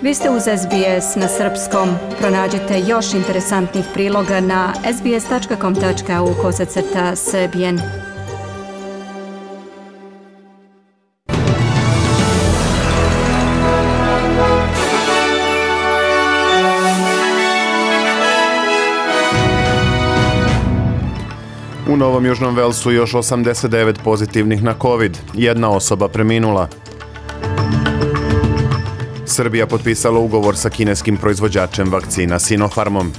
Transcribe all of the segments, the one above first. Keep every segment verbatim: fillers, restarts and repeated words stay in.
Vi ste uz S B S na srpskom. Pronađite još interesantnih priloga na sbs.com.au kosacrta srbijen. U Novom Južnom Velsu još osamdeset devet pozitivnih na COVID. Jedna osoba preminula. Srbija potpisala ugovor sa kineskim proizvođačem vakcina Sinopharmom.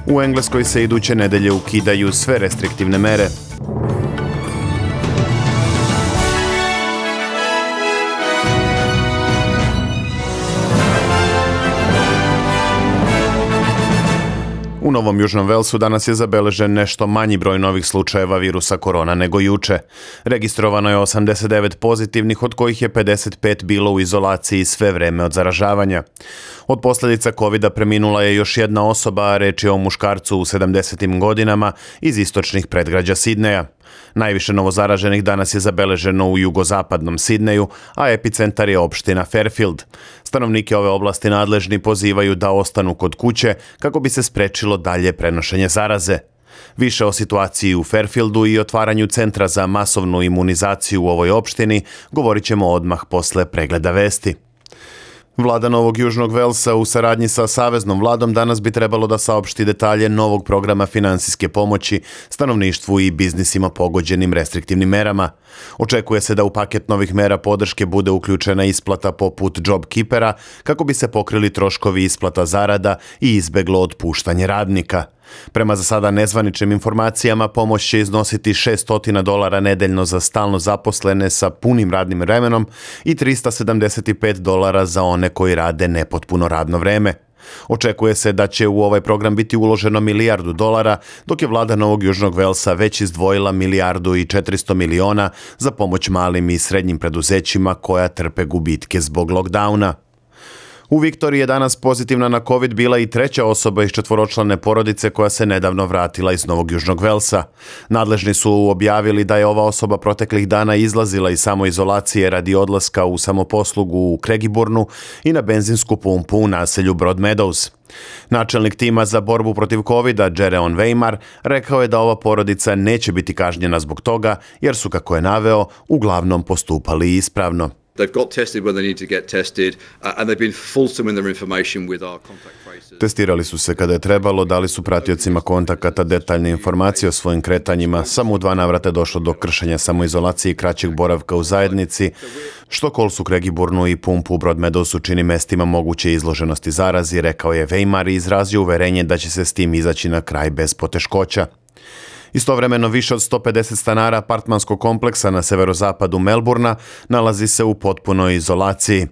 U Engleskoj se iduće nedelje ukidaju sve restriktivne mere. U Novom Južnom Velsu danas je zabeležen nešto manji broj novih slučajeva virusa korona nego juče. Registrovano je osamdeset devet pozitivnih, od kojih je pedeset pet bilo u izolaciji sve vreme od zaražavanja. Od posljedica kovida preminula je još jedna osoba, a reč je o muškarcu u sedamdesetim godinama iz istočnih predgrađa Sidneja. Najviše novozaraženih danas je zabeleženo u jugozapadnom Sidneju, a epicentar je opština Fairfield. Stanovnike ove oblasti nadležni pozivaju da ostanu kod kuće kako bi se sprečilo dalje prenošenje zaraze. Više o situaciji u Fairfieldu i otvaranju centra za masovnu imunizaciju u ovoj opštini govorit ćemo odmah posle pregleda vesti. Vlada Novog Južnog Velsa u saradnji sa Saveznom vladom danas bi trebalo da saopšti detalje novog programa finansijske pomoći stanovništvu i biznisima pogođenim restriktivnim merama. Očekuje se da u paket novih mera podrške bude uključena isplata poput JobKeepera kako bi se pokrili troškovi isplata zarada i izbeglo otpuštanje radnika. Prema za sada nezvaničnim informacijama, pomoć će iznositi šessto dolara nedeljno za stalno zaposlene sa punim radnim vremenom i trista sedamdeset pet dolara za one koji rade nepotpuno radno vreme. Očekuje se da će u ovaj program biti uloženo milijardu dolara, dok je vlada Novog Južnog Velsa već izdvojila milijardu i četiristo miliona za pomoć malim i srednjim preduzećima koja trpe gubitke zbog lockdowna. U Viktoriji je danas pozitivna na COVID bila i treća osoba iz četvoročlane porodice koja se nedavno vratila iz Novog Južnog Velsa. Nadležni su objavili da je ova osoba proteklih dana izlazila iz samoizolacije radi odlaska u samoposlugu u Craigieburnu i na benzinsku pumpu u naselju Broadmeadows. Načelnik tima za borbu protiv kovida, Jereon Weimar, rekao je da ova porodica neće biti kažnjena zbog toga jer su, kako je naveo, uglavnom postupali ispravno. They've got tested when they need to get tested, uh, and they've been fulsome in their information with our contact tracers. Testirali su se kada je trebalo, dali su pratiocima kontakata detaljne informacije o svojim kretanjima. Samo u dva navrata je došlo do kršenja samoizolacije i kraćeg boravka u zajednici, što Kolsu, Craigieburnu i pumpu u Broadmeadowsu čini mestima moguće izloženosti zarazi, rekao je Weimar i izrazio uverenje da će se s tim izaći na kraj bez poteškoća. Istovremeno više od sto pedeset stanara apartmanskog kompleksa na severozapadu Melbourna nalazi se u potpunoj izolaciji.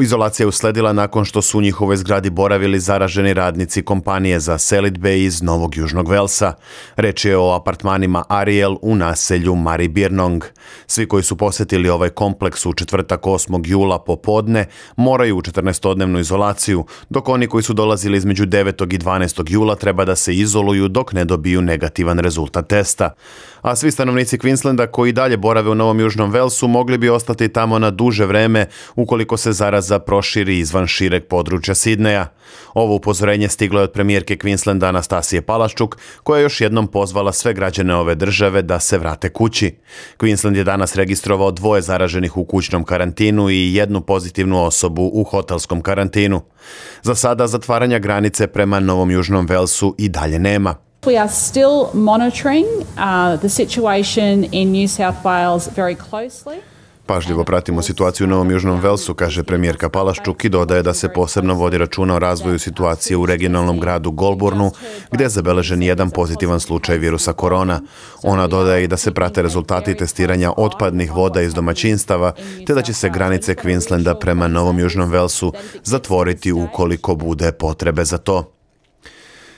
Izolacija je usledila nakon što su u njihovoj zgradi boravili zaraženi radnici kompanije za selidbe iz Novog Južnog Velsa. Reč je o apartmanima Ariel u naselju Maribyrnong. Svi koji su posjetili ovaj kompleks u četvrtak osmog jula popodne moraju u četrnaestodnevnu izolaciju, dok oni koji su dolazili između devetog i dvanaestog jula treba da se izoluju dok ne dobiju negativan rezultat testa. A svi stanovnici Queenslanda koji dalje borave u Novom Južnom Velsu mogli bi ostati tamo na duže vreme ukoliko se zaraza proširi izvan šireg područja Sidneja. Ovo upozorenje stiglo je od premijerke Queenslanda Anastasije Palaszczuk, koja je još jednom pozvala sve građane ove države da se vrate kući. Queensland je danas registrovao dvoje zaraženih u kućnom karantinu i jednu pozitivnu osobu u hotelskom karantinu. Za sada zatvaranja granice prema Novom Južnom Velsu i dalje nema. We are still monitoring uh, the situation in New South Wales very closely. Pažljivo pratimo situaciju u Novom Južnom Velsu, kaže premijerka Palaszczuk i dodaje da se posebno vodi računa o razvoju situacije u regionalnom gradu Goulburnu, gdje je zabeležen jedan pozitivan slučaj virusa korona. Ona dodaje i da se prate rezultati testiranja otpadnih voda iz domaćinstava, te da će se granice Queenslanda prema Novom Južnom Velsu zatvoriti ukoliko bude potrebe za to.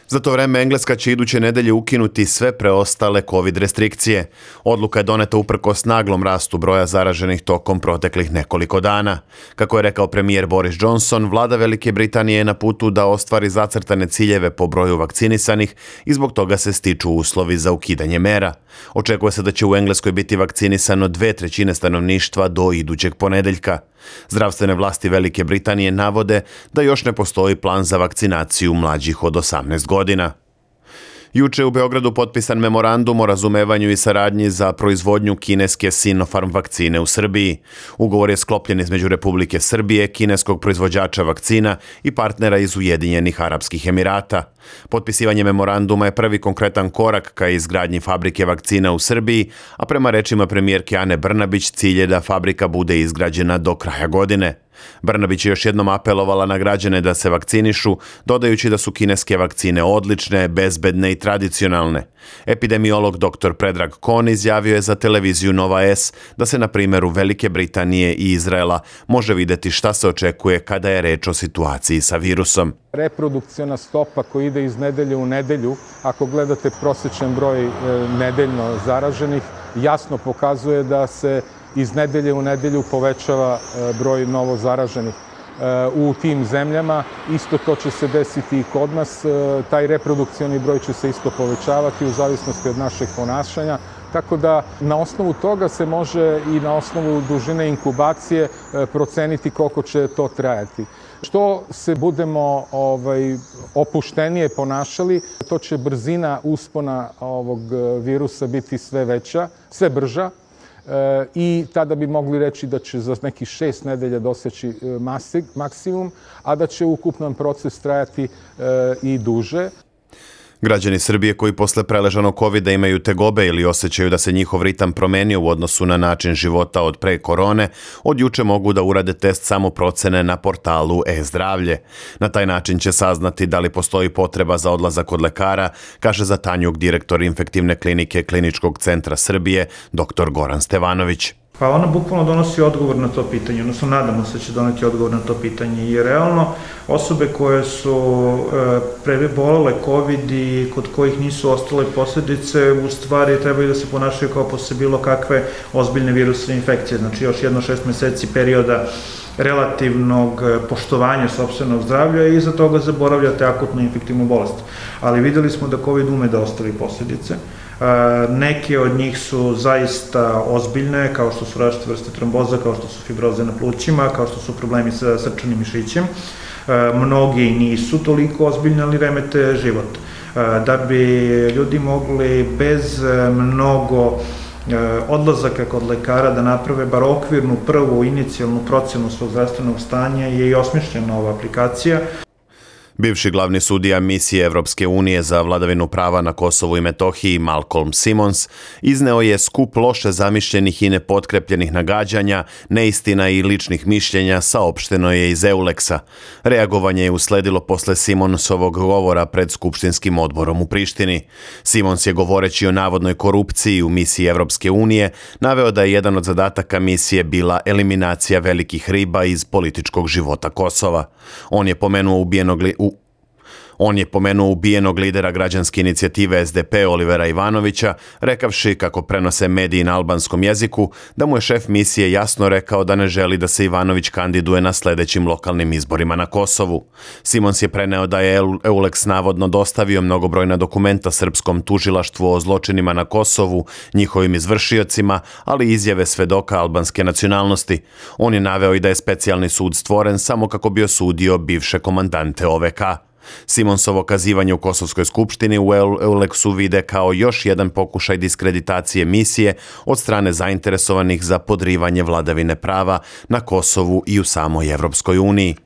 Za to vreme Engleska će iduće nedelje ukinuti sve preostale COVID restrikcije. Odluka je doneta uprkos naglom rastu broja zaraženih tokom proteklih nekoliko dana. Kako je rekao premijer Boris Johnson, vlada Velike Britanije je na putu da ostvari zacrtane ciljeve po broju vakcinisanih i zbog toga se stiču uslovi za ukidanje mera. Očekuje se da će u Engleskoj biti vakcinisano dve trećine stanovništva do idućeg ponedeljka. Zdravstvene vlasti Velike Britanije navode da još ne postoji plan za vakcinaciju mlađih od osamnaest godina. Juče u Beogradu potpisan memorandum o razumevanju i saradnji za proizvodnju kineske Sinopharm vakcine u Srbiji. Ugovor je sklopljen između Republike Srbije, kineskog proizvođača vakcina i partnera iz Ujedinjenih Arapskih Emirata. Potpisivanje memoranduma je prvi konkretan korak ka izgradnji fabrike vakcina u Srbiji, a prema rečima premijerke Ane Brnabić cilj je da fabrika bude izgrađena do kraja godine. Brnabić je još jednom apelovala na građane da se vakcinišu, dodajući da su kineske vakcine odlične, bezbedne i tradicionalne. Epidemiolog doktor Predrag Kon izjavio je za televiziju Nova S da se na primjeru Velike Britanije i Izraela može vidjeti šta se očekuje kada je reč o situaciji sa virusom. Reprodukciona stopa koja ide iz nedelje u nedelju, ako gledate prosječan broj nedeljno zaraženih, jasno pokazuje da se iz nedelje u nedelju povećava broj novo zaraženih u tim zemljama. Isto to će se desiti i kod nas. Taj reprodukcioni broj će se isto povećavati u zavisnosti od našeg ponašanja. Tako da na osnovu toga se može i na osnovu dužine inkubacije proceniti koliko će to trajati. Što se budemo ovaj, opuštenije ponašali, to će brzina uspona ovog virusa biti sve veća, sve brža. I tada bi mogli reći da će za nekih šest nedelja doseći maksimum, a da će ukupan proces trajati i duže. Građani Srbije koji posle preležanog kovida imaju tegobe ili osjećaju da se njihov ritam promenio u odnosu na način života od pre korone, od juče mogu da urade test samoprocene na portalu e-zdravlje. Na taj način će saznati da li postoji potreba za odlazak kod lekara, kaže za Tanjug direktor infektivne klinike Kliničkog centra Srbije, doktor Goran Stevanović. Pa ona bukvalno donosi odgovor na to pitanje, odnosno nadamo se da će doneti odgovor na to pitanje, jer realno osobe koje su e, prebolele COVID i kod kojih nisu ostale posljedice, u stvari trebaju da se ponašaju kao posle bilo kakve ozbiljne virusne infekcije, znači još jedno šest meseci perioda relativnog poštovanja sopstvenog zdravlja i iza toga zaboravljate akutnu infektivnu bolest. Ali videli smo da COVID ume da ostavi posljedice. Neke od njih su zaista ozbiljne, kao što su različite vrste tromboza, kao što su fibroze na plućima, kao što su problemi sa srčanim mišićem. Mnogi nisu toliko ozbiljni, ali remete život. Da bi ljudi mogli bez mnogo odlazaka kod lekara da naprave bar okvirnu prvu inicijalnu procenu svog zdravstvenog stanja je i osmišljena ova aplikacija. Bivši glavni sudija misije Evropske unije za vladavinu prava na Kosovu i Metohiji Malcolm Simons izneo je skup loše zamišljenih i nepotkrjepljenih nagađanja, neistina i ličnih mišljenja, saopšteno je iz Euleksa. Reagovanje je usledilo posle Simonsovog govora pred Skupštinskim odborom u Prištini. Simons je, govoreći o navodnoj korupciji u misiji Evropske unije, naveo da je jedan od zadataka misije bila eliminacija velikih riba iz političkog života Kosova. On je pomenuo ubijenog li... U On je pomenuo ubijenog lidera građanske inicijative S D P Olivera Ivanovića, rekavši, kako prenose mediji na albanskom jeziku, da mu je šef misije jasno rekao da ne želi da se Ivanović kandiduje na sljedećim lokalnim izborima na Kosovu. Simons je preneo da je Euleks navodno dostavio mnogobrojna dokumenta srpskom tužilaštvu o zločinima na Kosovu, njihovim izvršiocima, ali izjave svedoka albanske nacionalnosti. On je naveo i da je specijalni sud stvoren samo kako bi osudio bivše komandante O V K. Simonsovo kazivanje u Kosovskoj skupštini u Euleksu vide kao još jedan pokušaj diskreditacije misije od strane zainteresovanih za podrivanje vladavine prava na Kosovu i u samoj Evropskoj uniji.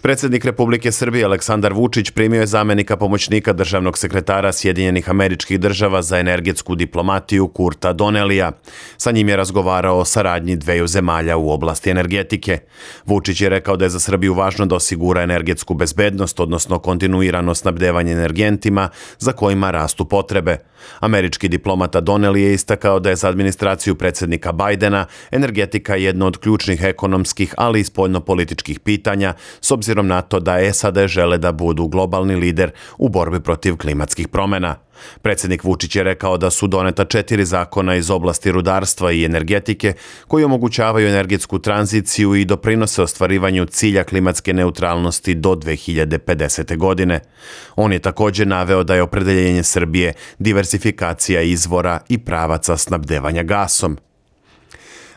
Predsjednik Republike Srbije Aleksandar Vučić primio je zamenika pomoćnika državnog sekretara Sjedinjenih Američkih Država za energetsku diplomatiju Kurta Donnellija. Sa njim je razgovarao o saradnji dveju zemalja u oblasti energetike. Vučić je rekao da je za Srbiju važno da osigura energetsku bezbednost, odnosno kontinuirano snabdevanje energentima za kojima rastu potrebe. Američki diplomata Donnelly je istakao da je za administraciju predsjednika Bajdena energetika jedno od ključnih ekonomskih, ali i spoljnopolitičkih pitanja, s obzirom na to da S A D žele da budu globalni lider u borbi protiv klimatskih promjena. Predsjednik Vučić je rekao da su doneta četiri zakona iz oblasti rudarstva i energetike koji omogućavaju energetsku tranziciju i doprinose ostvarivanju cilja klimatske neutralnosti do dve hiljade pedesete. godine. On je također naveo da je opredeljenje Srbije diversifikacija izvora i pravaca snabdevanja gasom.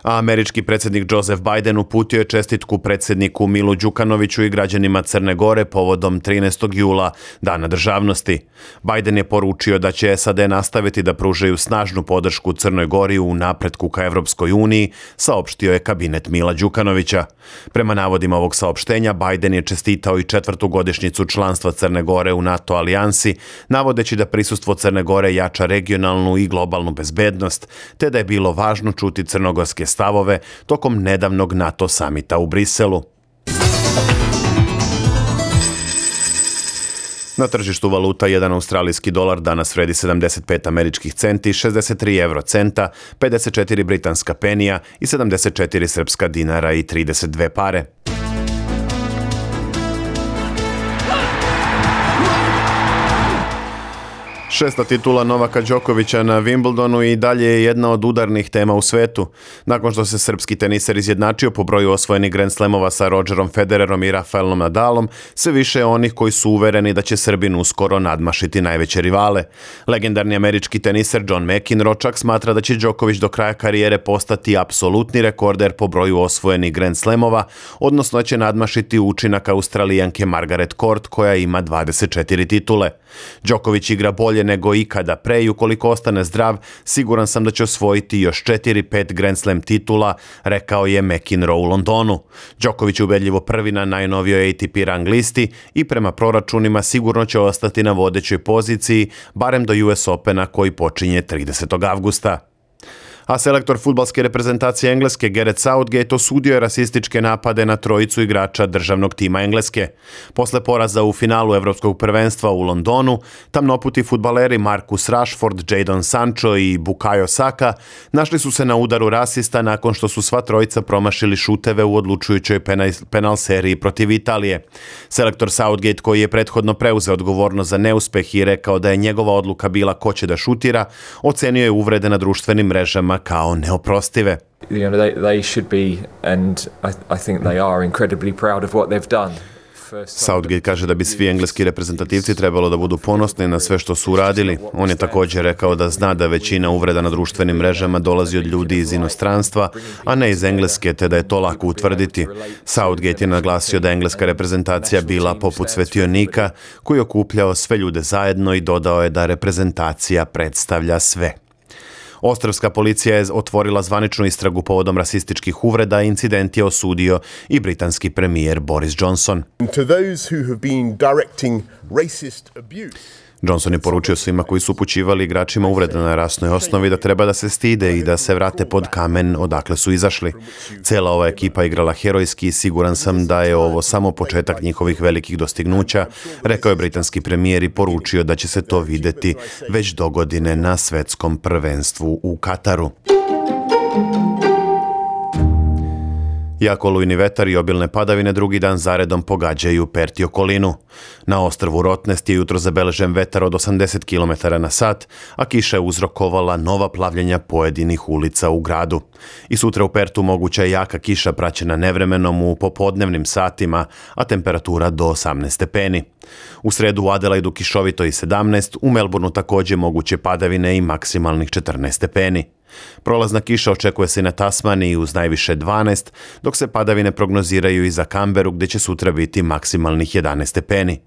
A američki predsjednik Joseph Biden uputio je čestitku predsjedniku Milu Đukanoviću i građanima Crne Gore povodom trinaestog jula, Dana državnosti. Biden je poručio da će S A D nastaviti da pružaju snažnu podršku Crnoj Gori u napretku ka Evropskoj uniji, saopštio je kabinet Mila Đukanovića. Prema navodima ovog saopštenja, Biden je čestitao i četvrtu godišnjicu članstva Crne Gore u NATO alijansi, navodeći da prisustvo Crne Gore jača regionalnu i globalnu bezbednost, te da je bilo važno čuti crnogorske stavove tokom nedavnog NATO samita u Briselu. Na tržištu valuta jedan australijski dolar danas vredi sedamdeset pet američkih centi, šezdeset tri euro centa, pedeset četiri britanska penija i sedamdeset četiri srpska dinara i trideset dve pare. Šesta titula Novaka Đokovića na Wimbledonu i dalje je jedna od udarnih tema u svetu. Nakon što se srpski teniser izjednačio po broju osvojenih Grand Slamova sa Rogerom Federerom i Rafaelom Nadalom, sve više je onih koji su uvereni da će Srbin uskoro nadmašiti najveće rivale. Legendarni američki teniser John McEnroe čak smatra da će Đoković do kraja karijere postati apsolutni rekorder po broju osvojenih Grand Slamova, odnosno će nadmašiti učinak Australijanke Margaret Court koja ima dvadeset četiri titule. Đoković igra bolje nego ikada pre i ukoliko ostane zdrav, siguran sam da će osvojiti još četiri pet Grand Slam titula, rekao je McEnroe u Londonu. Đoković je ubedljivo prvi na najnovijoj A T P rang listi i prema proračunima sigurno će ostati na vodećoj poziciji, barem do U S Opena koji počinje tridesetog avgusta. A selektor fudbalske reprezentacije Engleske Gareth Southgate osudio je rasističke napade na trojicu igrača državnog tima Engleske. Posle poraza u finalu Evropskog prvenstva u Londonu, tamnoputi fudbaleri Marcus Rashford, Jadon Sancho i Bukayo Saka našli su se na udaru rasista nakon što su sva trojica promašili šuteve u odlučujućoj penal, penal seriji protiv Italije. Selektor Southgate, koji je prethodno preuzeo odgovornost za neuspeh i rekao da je njegova odluka bila ko će da šutira, ocenio je uvrede na društvenim mrežama kao neoprostive. You know, they, they should be, and I, I think they are incredibly proud of what they've done. Southgate kaže da bi svi engleski reprezentativci trebalo da budu ponosni na sve što su uradili. On je također rekao da zna da većina uvreda na društvenim mrežama dolazi od ljudi iz inostranstva, a ne iz Engleske, te da je to lako utvrditi. Southgate je naglasio da je engleska reprezentacija bila poput svetionika koji je okupljao sve ljude zajedno i dodao je da reprezentacija predstavlja sve. Ostrvska policija je otvorila zvaničnu istragu povodom rasističkih uvreda, incident je osudio i britanski premijer Boris Johnson. Johnson je poručio svima koji su upućivali igračima uvrede na rasnoj osnovi da treba da se stide i da se vrate pod kamen odakle su izašli. Cela ova ekipa igrala herojski i siguran sam da je ovo samo početak njihovih velikih dostignuća, rekao je britanski premijer i poručio da će se to videti već dogodine na svetskom prvenstvu u Kataru. Jako olujni vetar i obilne padavine drugi dan zaredom pogađaju Perth i okolinu. Na ostrvu Rottnest je jutro zabeležen vetar od osamdeset kilometara na sat, a kiša je uzrokovala nova plavljenja pojedinih ulica u gradu. I sutra u Perthu moguća je jaka kiša praćena nevremenom u popodnevnim satima, a temperatura do osamnaest stepeni. U sredu u Adelaidu kišovito i sedamnaest, u Melbourneu također moguće padavine i maksimalnih četrnaest stepeni. Prolazna kiša očekuje se i na Tasmaniji uz najviše dvanaest, dok se padavine prognoziraju i za Canberu gdje će sutra biti maksimalnih jedanaest stepeni.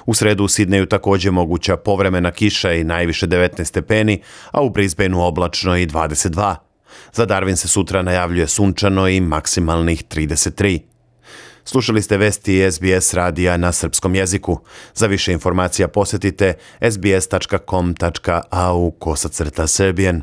U sredu u Sidneju također moguća povremena kiša i najviše devetnaest stepeni, a u Brisbaneu oblačno i dvadeset dva. Za Darwin se sutra najavljuje sunčano i maksimalnih trideset tri. Slušali ste vesti S B S radija na srpskom jeziku. Za više informacija posjetite s b s tačka com tačka a u kosacrta Serbian.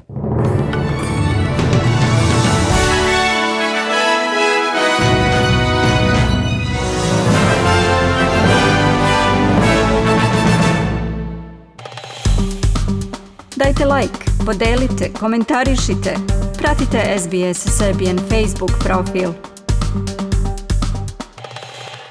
Dajte like, podelite, komentarišite. Pratite S B S Serbian Facebook profil.